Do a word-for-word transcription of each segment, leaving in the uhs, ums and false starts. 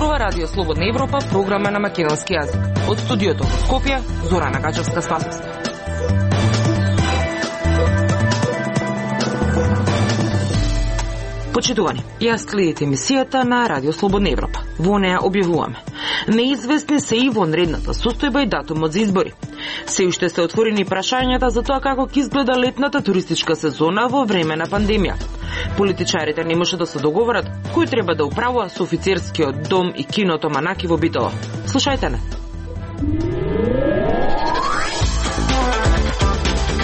зборува Радио Слободна Европа, програма на македонски јазик. Од студиото во Скопје, Зорана Гачевска-Спасовска. Почитувани, јас следите емисијата на Радио Слободна Европа. Во неја објавуваме: неизвестни се и вонредната состојба и датумот за избори. Се уште се отворени прашањата за тоа како ќе изгледа летната туристичка сезона во време на пандемија. Политичарите не може да се договорат кој треба да управува со офицерскиот дом и киното Манаки во Битола. Слушајте не.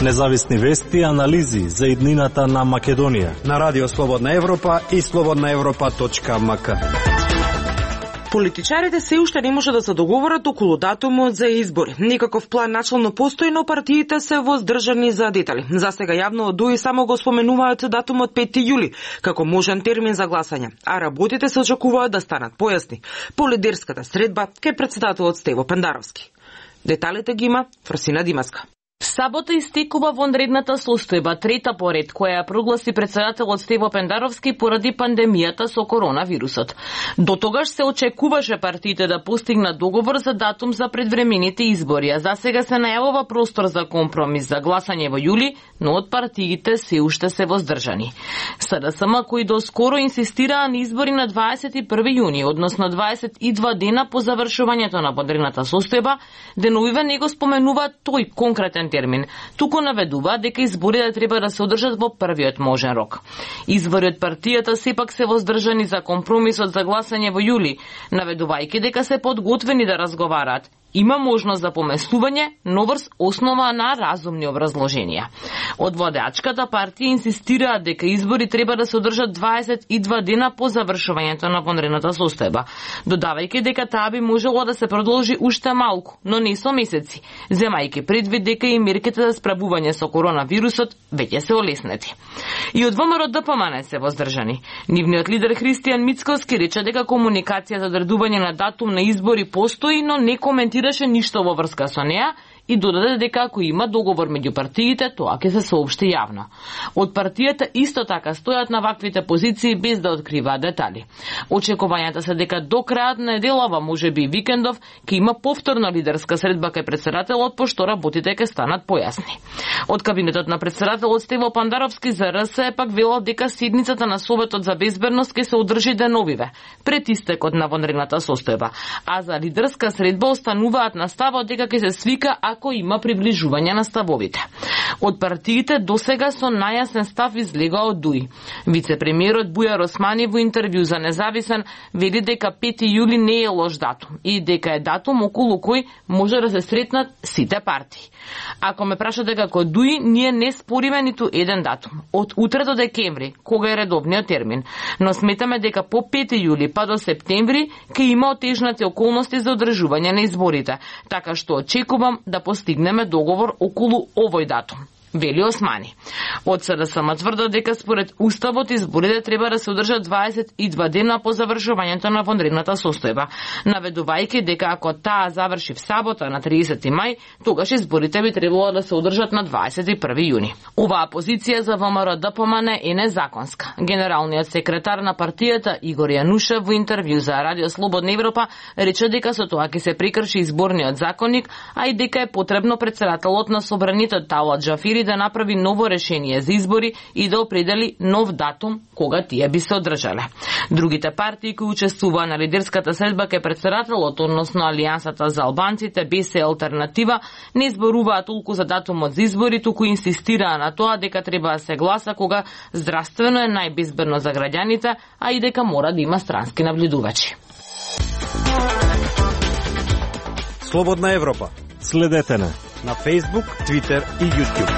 Независни вести и анализи за иднината на Македонија на Радио Слободна Европа и слободна европа точка ем ка. Политичарите се уште не може да се договорат околу датумот за избори. Никаков план начално постои, но партиите се воздржани за детали. За сега јавно од ДУИ само го споменуваат датумот пети јули како можен термин за гласање, а работите се очекуваат да станат појасни по лидерската средба кај претседателот Стево Пендаровски. Деталите ги има Фросина Димаска. Сабота истекува вонредната состојба, трета поред, која ја прогласи претседателот Стево Пендаровски поради пандемијата со коронавирусот. До тогаш се очекуваше партиите да постигнат договор за датум за предвремените избори, а за сега се најавува простор за компромис за гласање во јули, но од партиите се уште се воздржани. СДСМ, кои доскоро инсистираа на избори на дваесет и први јуни, односно дваесет и два дена по завршувањето на вонредната состојба, деновиве не го споменуваат тој конкретен термин, туку наведува дека изборите треба да се одржат во првиот можен рок. Извори од партијата сепак се воздржани за компромисот за гласање во јули, наведувајќи дека се подготвени да разговараат. Има можност за поместување, но врз основа на разумни образложенија. Од водачката партија инсистираат дека избори треба да се одржат дваесет и два дена по завршувањето на вонредната состојба, додавајќи дека таа би можело да се продолжи уште малку, но не со месеци, земајќи предвид дека и мерките за справување со коронавирусот веќе се олеснети. И од ВМРО Д П М Н се воздржани. Нивниот лидер Христијан Мицковски рече дека комуникација за одредување на датум на избори постои, но не коментира ништо во врска со неа и додаде дека ако има договор меѓу партиите, тоа ќе се соопшти јавно. Од партијата исто така стојат на ваквите позиции без да откриваат детали. Очекувањата се дека до крајот на неделава, можеби и викендов, ќе има повторна лидерска средба кај претседателот, пошто работите ќе станат појасни. Од кабинетот на претседателот Стево Пендаровски за Р С пак велел дека седницата на Советот за безбедност ќе се одржи деновиве, пред истекот на вонредната состојба, а за лидерска средба остануваат на ставот дека ќе се свика ако има приближување на ставовите. Од партиите досега со најасен став излега од ДУИ. Вице-премиерот Бујар Османи во интервју за Независен вели дека пети јули не е лош датум и дека е датум околу кој може да се сретнат сите партии. Ако ме прашате како ДУИ, ние не спориме ниту еден датум. Од утре до декември, кога е редовниот термин, но сметаме дека по пети јули па до септември ќе има отежнати околности за одржување на изборите, така што очекувам да постигнеме договор околу овој датум, вели Османи. Од СДСМ тврдат дека според Уставот изборите треба да се одржат дваесет и два дена по завршувањето на вонредната состојба, наведувајќи дека ако таа заврши в сабота на триесети мај, тогаш изборите би требало да се одржат на дваесет и први јуни. Оваа позиција за ВМРО Д П М Н е незаконска. Генералниот секретар на партијата Игор Јанушев во интервју за Радио Слободна Европа рече дека со тоа ќе се прекрши изборниот законник, а и дека е потребно претседателот на собранието Талат Џафири да направи ново решение за избори и да определи нов датум кога тие би се одржале. Другите партии кои учествуваа на лидерската средба кај претседателот, односно Алијансата за албанците, Б С Алтернатива, не зборуваа толку за датумот за избори, туку инсистираа на тоа дека треба да се гласа кога здравствено е најбезбедно за граѓаните, а и дека мора да има странски наблюдувачи. Слободна Европа. Следете на на Facebook, Twitter и YouTube.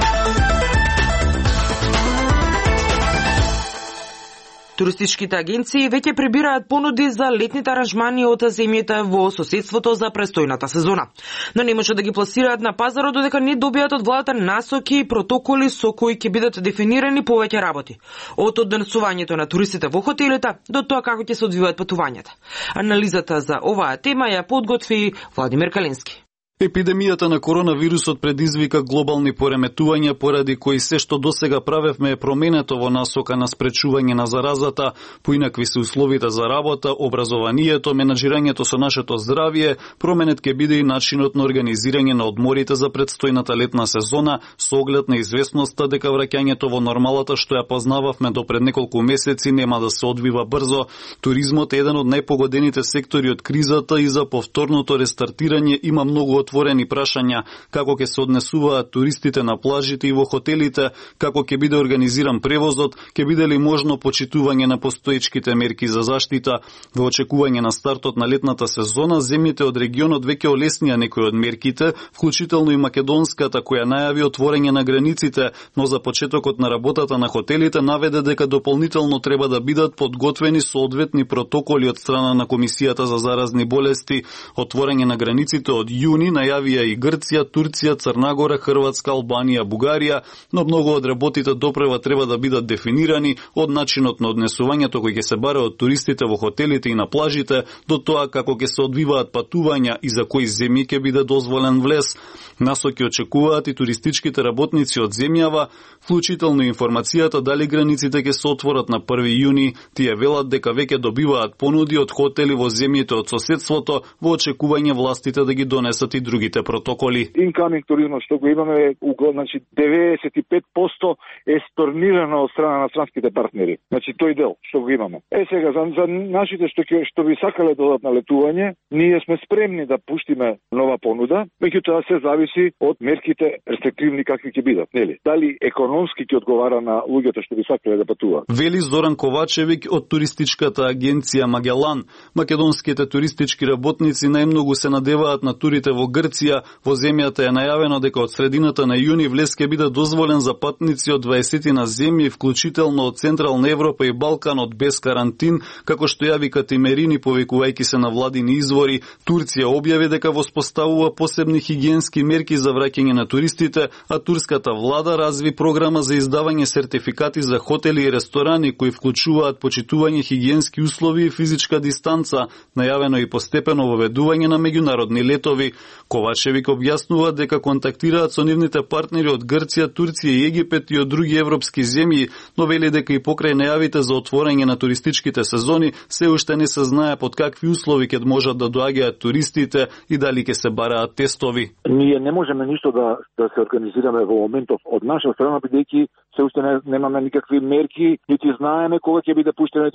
Туристичките агенции веќе прибираат понуди за летните аранжмани од земјите во соседството за престојната сезона. Но не може да ги пласираат на пазарот додека не добијат од владата насоки и протоколи со кои ќе бидат дефинирани повеќе работи. Од однесувањето на туристите во хотелите до тоа како ќе се одвиваат патувањата. Анализата за оваа тема ја подготви Владимир Калински. Епидемијата на коронавирусот предизвика глобални пореметувања поради кои се што досега правевме е променето во насока на спречување на заразата, поинакви се условите за работа, образованието, менаџирањето со нашето здравје, променет ќе биде и начинот на организирање на одморите за предстојната летна сезона, со оглед на известноста дека враќањето во нормалата што ја познававме до пред неколку месеци нема да се одвива брзо. Туризмот е еден од најпогодените сектори од кризата и за повторното рестартирање има многу отворени прашања, како ќе се однесуваат туристите на плажите и во хотелите, како ќе биде организиран превозот, ќе биде ли можно почитување на постоечките мерки за заштита. Во очекување на стартот на летната сезона, земјите од регионот веќе олеснија некои од мерките, вклучително и македонската која најави отворање на границите, но за почетокот на работата на хотелите наведе дека дополнително треба да бидат подготвени соодветни протоколи од страна на Комисијата за заразни болести. Отворање на границите од јуни најавија и Грција, Турција, Црнагора, Хрватска, Албанија, Бугарија, но многу од работите допрева треба да бидат дефинирани, од начинот на однесувањето кој ќе се бара од туристите во хотелите и на плажите, до тоа како ќе се одвиваат патувања и за кои земји ќе биде дозволен влез. Насоки очекуваат и туристичките работници од земјава, вклучително информацијата дали границите ќе се отворат на први јуни. Тие велат дека веќе добиваат понуди од хотели во земјите од соседството во очекување властите да ги донесат и другите протоколи. Incoming туризмот што го имаме, значи деветдесет и пет проценти е сторнирано од страна на странските партнери. Значи тој дел што го имаме. Е сега за, за нашите што ќе што би сакале да одат на летување, ние сме спремни да пуштиме нова понуда, меѓутоа се зависи од мерките рестриктивни какви ќе бидат, нели? Дали економски ќе одговара на луѓето што би сакале да патуваат. Вели Зоран Ковачевик од туристичката агенција Магелан. Македонските туристички работници најмногу се надеваат на турите во Грција. Во земјата е најавено дека од средината на јуни влез ќе биде дозволен за патници од дваесет на земји, вклучително од Централна Европа и Балканот без карантин, како што јави Катимерини повикувајќи се на владини извори. Турција објави дека воспоставува посебни хигиенски мерки за враќање на туристите, а турската влада разви програма за издавање сертификати за хотели и ресторани кои вклучуваат почитување хигиенски услови и физичка дистанца, најавено и постепено воведување на меѓународни летови. Ковачевик објаснува дека контактираат со нивните партнери од Грција, Турција и Египет и од други европски земји, но вели дека и покрај најавите за отворање на туристичките сезони, се уште не се знае под какви услови ќе можат да доаѓаат туристите и дали ќе се бараат тестови. Ние не можеме ништо да да се организираме во моментов од наша страна, бидејќи се уште не, немаме никакви мерки, нити знаеме кога ќе биде пуштена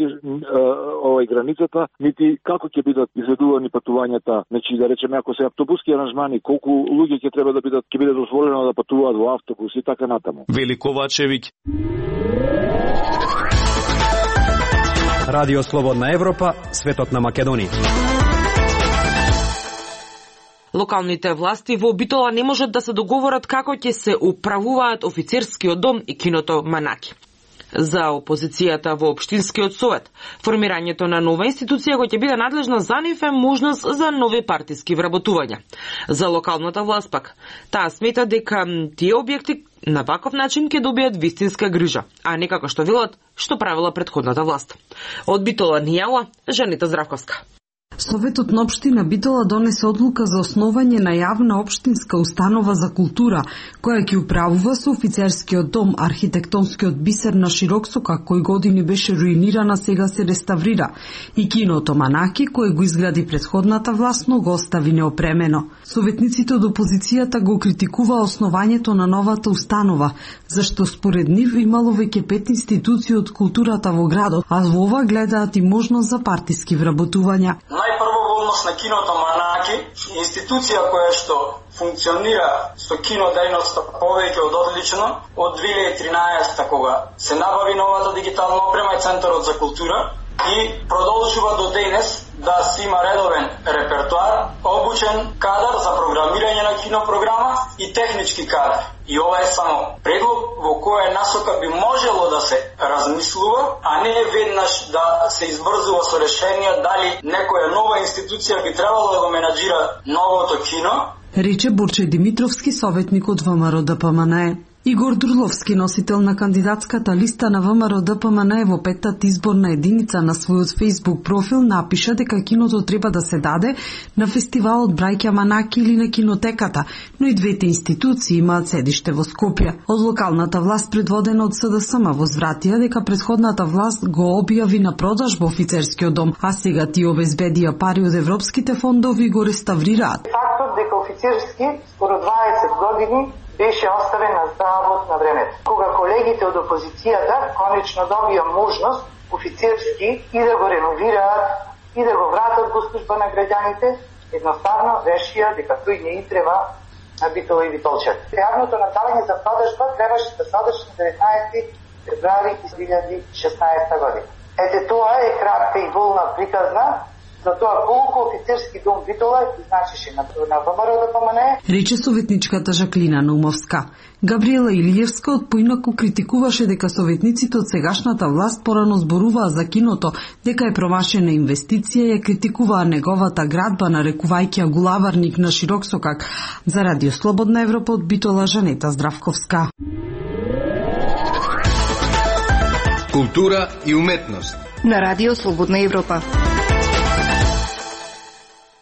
овај границата, нити како ќе бидат изведувани патувањата. Значи да речеме ако се автобуски аранжмани, колку луѓе ќе треба да бидат ќе биде дозволено да патуваат во автобус и така натаму. Вели Ковачевик. Радио Слободна Европа, светот на Македонија. Локалните власти во Битола не можат да се договорат како ќе се управуваат офицерскиот дом и киното Манаки. За опозицијата во Општинскиот совет, формирањето на нова институција која ќе биде надлежна за нив е можност за нови партиски вработувања. За локалната власт пак, таа смета дека тие објекти на ваков начин ќе добијат вистинска грижа, а не како што велат што правила претходната власт. Од Битола ни јава Жанита Здравковска. Советот на општина Битола донесе одлука за основање на јавна општинска установа за култура, која ќе управува со офицерскиот дом, архитектонскиот бисер на Широксока, кој години беше руинирана, сега се реставрира, и киното Манаки, кој го изгради претходната власт, но го остави неопремено. Советниците од опозицијата го критикува основањето на новата установа, зашто според нив имало веќе пет институции од културата во градот, а во ова гледаат и можност за партиски вработувања. Најпрво во однос на киното Манаки, институција која што функционира со кинодејноста повеќе од одлично, од две илјади и тринаесета кога се набави новата дигитална опрема и Центарот за култура и продолжува до денес да си има редовен репертуар, обучен кадар за програмирање на кинопрограма и технички кадар. И ова е само предлог во која насока би можело да се размислува, а не веднаш да се избрзува со решенија дали некоја нова институција би требало да го менаџира новото кино. Рече Борче Димитровски, советник од ВМРО ДПМНЕ. Игор Дурловски, носител на кандидатската листа на ВМРО Д П М Н во петтата изборна единица на својот Facebook профил, напиша дека киното треба да се даде на фестивалот Браќа Манаки или на кинотеката, но и двете институции имаат седиште во Скопје. Од локалната власт, предводена од С Д С М, возвратија дека претходната власт го објави на продажба офицерскиот дом, а сега ти обезбедија пари од европските фондови и го реставрираат. Фактот дека офицерски скоро дваесет години беше оставен на здравот на времето. Кога колегите од опозицијата конечно добија можност офицерски и да го реновираат и да го вратат во служба на граѓаните, едноставно решија дека тој не и треба на Битола и Витолчев. Јавното надавање за продажба требаше да се одржи на деветнаесети февруари две илјади и шеснаесета година. Ете тоа е кратка и волна приказна за тоа колку офицерски дом Битола значише на ВМРО Д П М Н. Рече советничката Жаклина Наумовска. Габриела Илиевска од поинаку критикуваше дека советниците од сегашната власт порано зборуваа за киното, дека е промашена инвестиција и ја критикуваа неговата градба, нарекувајќи ја гулаварник на широк сокак. За Радио Слободна Европа од Битола, Жанета Здравковска. Култура и уметност на Радио Слободна Европа.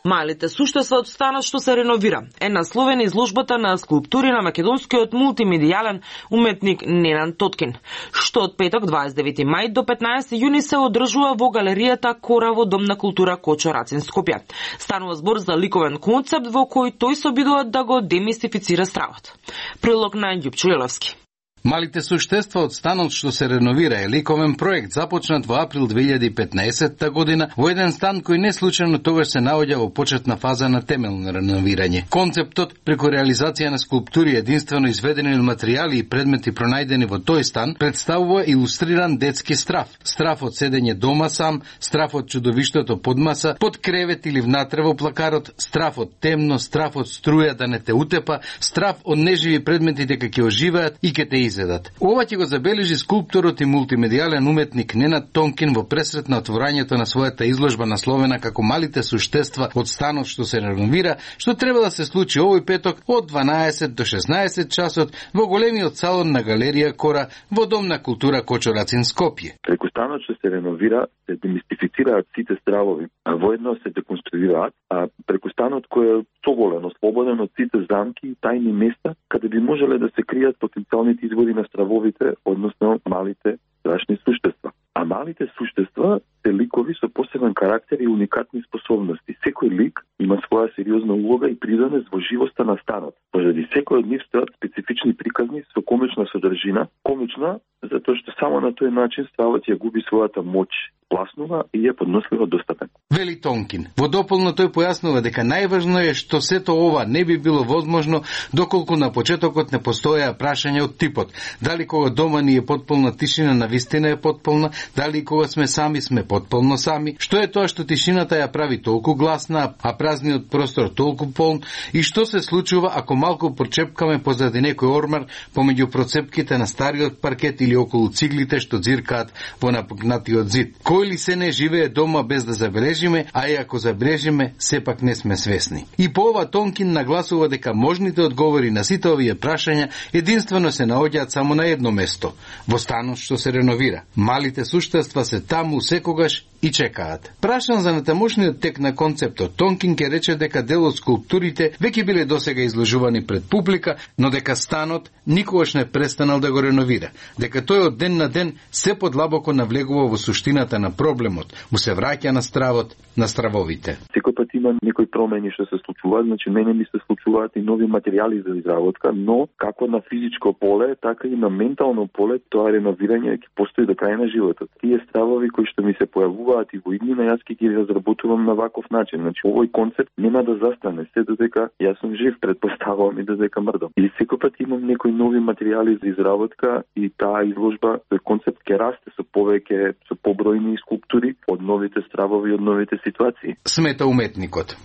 Малите суштества од станот што се реновира е насловена изложбата на скулптури на македонскиот мултимедијален уметник Ненад Тоткин, што од петок дваесет и девети мај до петнаесети јуни се одржува во галеријата Кора во Дом на култура Кочо Рацин, Скопје. Станува збор за ликовен концепт во кој тој се обидува да го демистифицира стравот. Прилог на Ѓупчо Лиловски. Малите суштества од станот што се реновира е ликовен проект започнат во април две илјади и петнаесетта година во еден стан кој не случајно тогаш се наоѓа во почетна фаза на темелно реновирање. Концептот преку реализација на скулптури единствено изведени од материјали и предмети пронајдени во тој стан представува илустриран детски страв. Страв од седење дома сам, страв од чудовиштото под маса, под кревет или внатре во плакарот, страв од темно, страв од струја да не те утепа, страв од неживи предмети дека ќе оживеат и ќе те изедат. Ова ќе го забележи скулпторот и мултимедијален уметник Ненад Тоткин во пресрет на отворањето на својата изложба насловена како Малите суштества од станот што се реновира, што треба да се случи овој петок од дванаесет до шеснаесет часот во големиот салон на галерија Кора во Дом на култура Кочо Рацин, Скопје. Преку станот што се реновира се демистифицираат сите стравови, а воедно се деконструираат, а преку станот кој е свободен, ослободен од сите замки и тајни места каде би можеле да се кријат потенцијалните извори на стравовите, односно малите страшни суштества. А малите суштества се ликови со посебен карактер и уникатни способности. Секој лик има своја сериозна улога и придонес во живоста на станот. Поради секој од нив стојат специфични приказни со комична содржина. Комична затоа што само на тој начин ставот ја губи својата моќ, пласнува и е подносливо достапен. Вели Тонкин. Во дополно тој појаснува дека најважно е што сето ова не би било возможно доколку на почетокот не постоја прашање од типот дали кога дома ни е потполна тишина на вистина е потполна, дали кога сме сами сме потполно сами, што е тоа што тишината ја прави толку гласна, а празниот простор толку полн и што се случува ако малку прочепкаме позади некој ормар помеѓу процепките на стариот паркет или околу циглите што ѕиркаат во напукнатиот зид. Кој ли се не живее дома без да забележиме, а и ако забележиме, сепак не сме свесни. И по ова Тонкин нагласува дека можните одговори на сите овие прашања единствено се наоѓаат само на едно место, во станот што се реновира. Малите суштества се таму секогаш и чекаат. Прашан за натамошниот тек на концептот, Тонкин ке рече дека дел од скулптурите веќе биле досега изложувани пред публика, но дека станот никогаш не престанал да го реновира, дека тој од ден на ден се подлабоко навлегува во суштината на проблемот, му се враќа на стравот, на стравовите. Секој пат има некои промени што се случуваат, значи мене ми се случуваат и нови материјали за изработка, но како на физичко поле, така и на ментално поле, тоа реновирање ќе постои до крај на животот. Тие стравови кои што ми се појавуваат и во иднина, јас ќе ги разработувам на ваков начин. Значи овој концепт нема да застане се додека јас сум жив, предпоставувам и додека мрдам. И секој пат имам некои нови материјали за изработка и таа изложба, тој концепт ќе расте со повеќе, со побројни скулптури од новите стравови, од новите ситуации. Смета уметникот.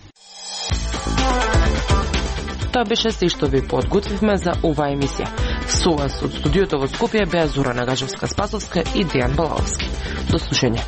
Тоа беше се што ви подготвивме за оваа емисија. Со вас од студиото во Скопје беа Зора Нагажевска-Спасовска и Дејан Балаовски. До слушање.